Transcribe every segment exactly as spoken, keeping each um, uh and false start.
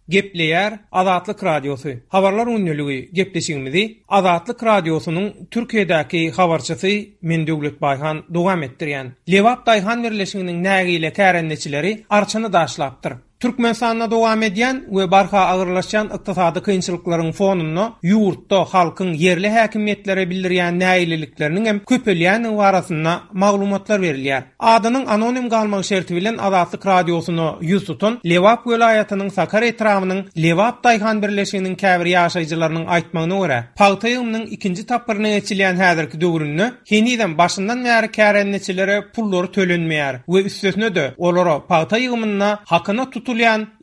Gepleýär Azatlyk Radiosy. Habarlar gündeligi gepleşigimizi Azatlyk Radiosynyň Türkiýedäki habarçysy men Döwlet Baýhan dowam etdirýän. Lebap Daýhan Birleşiginiň nägile kärendeçileri arçyny daşlapdyr. Türkmenistanda dowam edýän we barha agyrlaşýan ykdysady kynçylyklaryň fonunda ýurtda halkyň ýerli häkimiýetlere bildirýän nägilelikleriniň hem köpelýändigi barasynda maglumatlar berilýär. Adynyň anonim galmagy şerti bilen Azatlyk Radiosyna ýüz tutan Lebap welaýatynyň Sakar etrabynyň Lebap Daýhan Birleşiginiň käbir ýaşaýjylarynyň aýtmagyna görä, pagta ýygymynyň ikinji tapgyryna geçilýän häzirki döwründe henizem başyndan bäri kärendeçilere pullary tölenmeýär we üstesine-de olara pagta ýygymynda hakyna tutulýan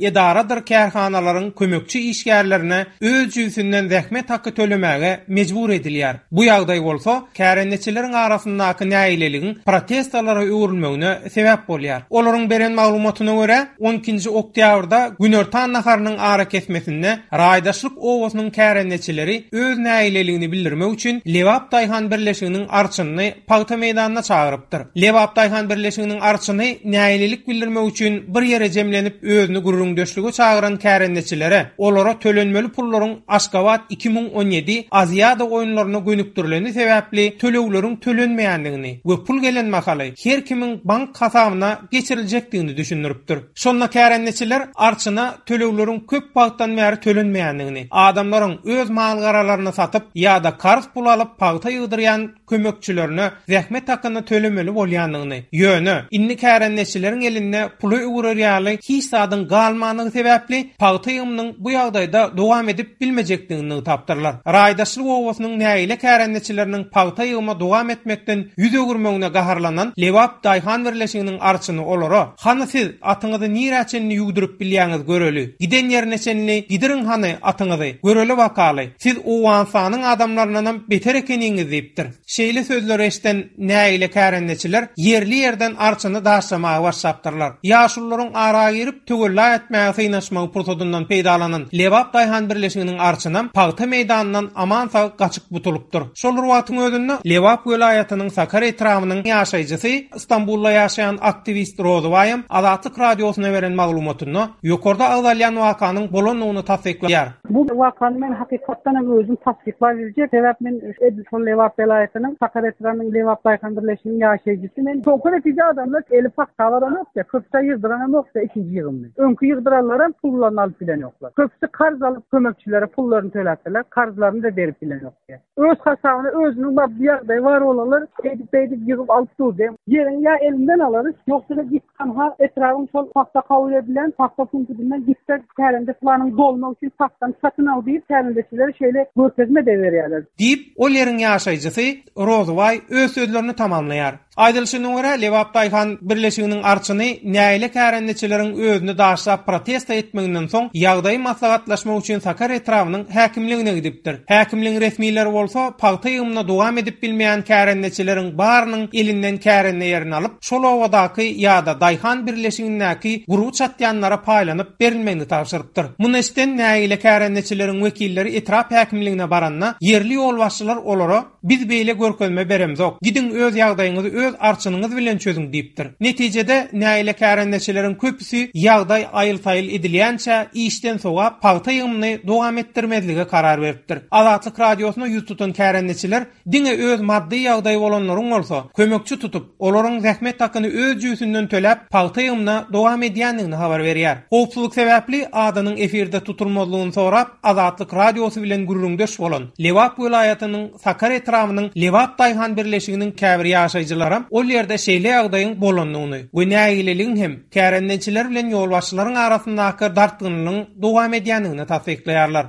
edaradyr kärhanalaryň kömekçi işgärlerine öz jübüsinden zähmet haky tölemäge mejbur edilýär. Bu ýagdaý bolsa kärendeçileriň arasyndaky nägileligiň protestlara öwrülmegine sebäp bolýar. Olaryň beren maglumatyna görä, on ikinji oktýabrda Günortan naharynyň ara kesmesinde Raýdaşlyk obasynyň kärendeçileri öz nägileligini bildirmek üçin Lebap Daýhan Birleşiginiň arçynyny pagta meýdanyna çagyrypdyr. Lebap Daýhan Birleşiginiň arçyny nägilelik bildirmek üçin bir ýere jemlenip özüni gürrüňdeşlige çagyran kärendeçilere olara tölenmeli pullaryň Aşgabat iki müň on ýedi Aziýada oýunlaryna gönükdirileni sebäpli tölegleriň tölenmeýändigini we pul gelen mahaly her kimiň bank hasabyna geçiriljekdigini düşündiripdir. Şonda kärendeçiler arçyna tölegleriň köp wagtdan bäri tölenmeýändigini, adamlaryň öz mal-garalaryny satyp ýa-da karz pul alyp pagta ýygdyrýan kömekçilerine zähmet hakyny tölemeli bolýandygyny, ýöne indi kärendeçileriň elinde puly öwrer ýaly hiç zadyň galmandygy sebäpli pagta ýygymynyň bu ýagdaýda dowam edip bilmejekdigini nygtapdyrlar. Raýdaşlyk obasynyň nägile kärendeçileriniň pagta ýygyma dowam etmekden ýüz öwürmegine gaharlanan Lebap Daýhan Birleşiginiň arçyny olara: "Hany siz atyňyzy nirä çenli ýugduryp bilýäňiz göreli. Giden ýerine çenli gidirin hany atyňyzy. Göreli bakaly. Siz Owganystanyň adamlaryndan beter ekeniňiz" diýipdir. Şeýle sözleri eşden nägile kärendeçiler ýerli ýerden arçyny daşlamaga başlapdyrlar. Ýaşulularyň ara girip töwella etmäge synaşmagy pursadyndan peýdalanan Lebap Daýhan Birleşiginiň arçynam pagta meýdanyndan aman sag gaçyp butulypdyr. Şol bir wagtyň özünde Lebap welaýatynyň Sakar etrabynyň ýaşaýjysy Istanbulda ýaşaýan aktiwist Rozybaýam Azatlyk Radiosyna beren maglumatynda ýokarda agzalýan wakanyň bolandygyny tassyklaýar. Bu wakany men hakykatdan hem özüm tassyklap biljek. Sebäp men edil şol Lebap welaýatynyň Sakar etrabynyň Lebap Daýhan Birleşiginiň ýaşaýjysy. Men soňky netije adamlar eli pagta baran ýokdy, köpüsi ýygdyran hem ýokdy ikinji ýygymny. Öňki ýygdyranlar hem pullaryny alyp bilen ýoklar. Köpüsi karz alyp kömekçilere pullaryny töläpdiler, karzlaryny da berip bilen ýokdy. Öz hasabyna özüniň maddy ýagdaýy bar olanlar edip edip ýygyp alyp durdy. Ýeriň ýa elinden alarys, ýogsa da git hanha etrabın şol pagta kabul edilen pagta punktundan gitse kärende planyň dolmak üçin pagtany satyn al diýip kärendeçilere şeýle görkezme de berýärler. Diýip, ol ýeriň ýaşaýjysy Rozybaý öz sözlerini tamamlaýar. Aýdylyşyna görä, Lebap Daýhan Birleşiginiň arçyny nägile kärendeçileriň özüni daşlap protesta etmeginden soň ýagdaýy maslahatlaşmak üçin Sakar etrabynyň häkimligine gidipdir. Häkimligiň resmileri bolsa pagta ýygymyna dowam edip bilmeýän kärendeçileriň barynyň elinden kärende ýerini alyp, şol obadaky ýa-da Daýhan Birleşigindäki gurby çatýanlara paýlanyp berilmegini tabşyrypdyr. Muny eşiden nägile kärendeçileriň wekilleri etrap häkimligine baranda ýerli ýolbaşçylar olara biz beýle görkezme beremzok. Gidiň öz ýagdaýyňyzy öz arçynyňyz bilen çözüň diýipdir. Netijede nägile kärendeçileriň köpüsi ýagdaý aýyl-saýyl edilýänçä işden sogap pagta ýygymyny dowam etdirmezlige karar beripdir. Azatlyk Radiosyna ýüz tutan kärendeçiler diňe öz maddy ýagdaýy bolanlaryň bolsa kömekçi tutup, olaryň zähmet hakyny öz jübüsinden töläp pagta ýygymyna dowam edýändigini habar berýär. Howpsuzlyk sebäpli adynyň efirde tutulmazlygyny sorap Azatlyk Radiosy bilen gürrüňdeş bolan Lebap welaýatynyň Sakar etrabynyň Lebap Daýhan Birleşiginiň käbir ýaşaýjylaram ol ýerde şeýle ýagdaýyň bolandygyny we nägileligiň hem kärendeçiler bilen ýolbaşçylaryň arasyndaky dartgynlygyň dowam edýändigini tassyklaýarlar.